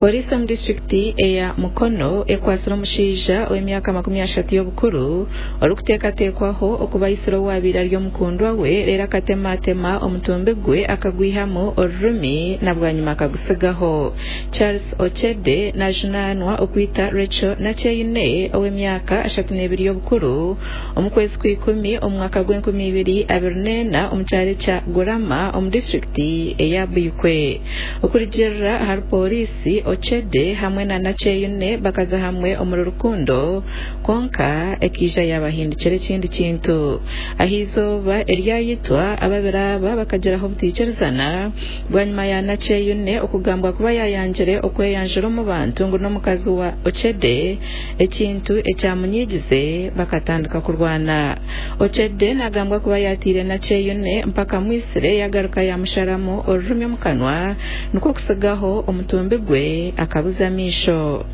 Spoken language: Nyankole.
Pooriisi omu disiturikiti eya Mukono ekwatsire omushaija ow'emyaka 30 y'obukuru orikuteekateekwaho okuba aitsire owabaire ari omukundwa we reero akatematema omutumbi gwe akagwihamu orurimi na bwanyima akagutsigaho. Charles Ochede najunaanwa okwita Rachel Nakyeyune ow'emyaka 32 y'obukuru omu kwezi Kwikumi omu mwaka gw'enkumibiri abiri n'ena omu kyaro ekya Gurama omu disiturikiti eya Buikwe. Okurugiirira ahari pooriisi, Ochede hamwe na Nakyeyune bakaza hamwe omuri rukundo kwonka ekaija yabahindukira ekindi kintu. Ah'eizooba eryayitwa, ababiri aba bakagiraho obutaikirizana bwanyima ya Nakyeyune okugambwa kuba yayangire okweyanjura omu bantu ngu n'omukazi wa Ochede, ekintu ekyamunyigize bakatandika kurwana. Ochede nagambwa kuba yatiire Nakyeyune mpaka amwitsire yagaruka yamusharamu orurimi omu kanwa nikwo kutsigaho omutumbi gwe akabuza amaisho.